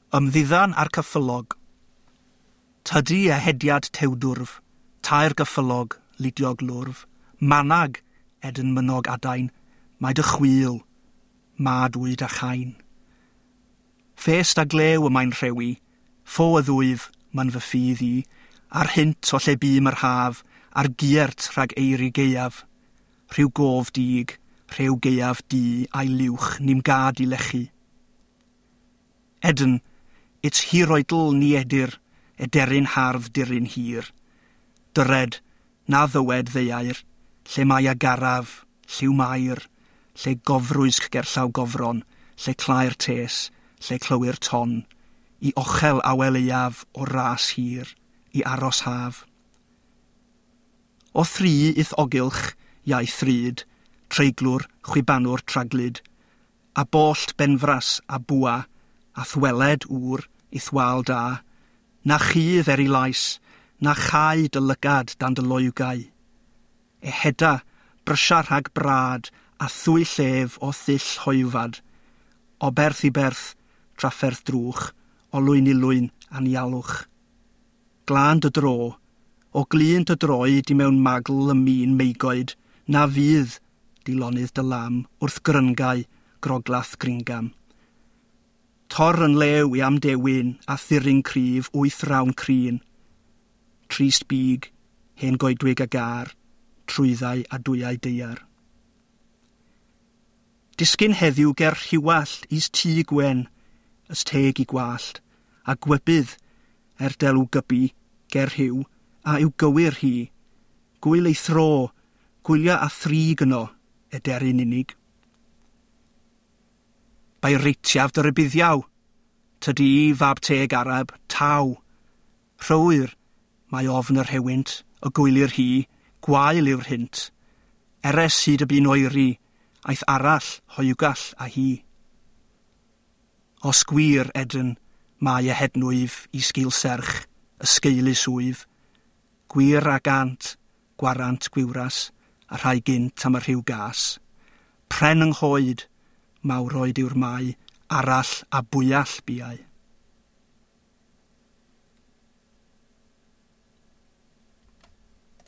Ymddiddan a'r cyffylog. Tydi ehediad tewdwrf, tair gyffylog, ludiog lwrf, manag, edyn mynog adain, mae dy chwil, mad wyd a chain. Ffest a glew y mae'n rhewi, ffo y ddwyf, ma'n fy ffydd i, a'r hynt o lle bûm yr haf, a'r giert rhag eiri gaeaf. Rhyw gof dig, rhew gaeaf du a'i liwch ni'm gad i lechu. Edyn, it's hiroedl ni edir, ederyn hardd diryn hir. Dyred, na ddywed ddeuair, lle mae agaraf, lliw mair, lle gofrwysg gerllaw gofron, lle clai'r tes, lle clywir ton, i ochel awel eiaf o ras hir, i aros haf. O thri ith ogylch, iau thryd, treiglwr, chwibanwr traglyd, a bollt benfras a bwa, a thweled ŵr i'th wal da, na chudd er i lais, na chau dy lygad dan dy loegau. Eheda, brysia rhag brad, a thwy llef o ddull hoywfad, o berth i berth, trafferth drwch, o lwyn i lwyn anialwch. Glân dy dro, o glun dy droed i mewn magl y min meigoed, na fydd dilonydd dy lam wrth gryngau groglath gringam. Tor yn lew i amdewin a thiryn cryf wyth rawn crin. Trist big, hen goedwig a gar, trwyddau a dwyau deiar. Disgyn heddiw ger rhiwallt is tŷ gwen, ys teg i gwallt, a gwybydd, er delw gybi, ger rhyw, a yw gywir hi. Gwyl ei thro, gwylia a thrig yno, ederyn unig. Bai reitiaf dy rybuddiaw, tydi fab teg Arab, taw. Rhywyr, mae ofn yr hewynt, y gwylir hi, gwael yw'r hynt. Eres hyd y bu'n oeri, aeth arall, hoiwgall a hi. Os gwir, Edyn, mae y hednwyf i sgil serch, ysgeulus wyf. Gwir a gant, gwarant gwiwras, a rhai gynt am y rhyw gas. Pren yng nghoed, mawroed yw'r mai, arall a bwyall biau.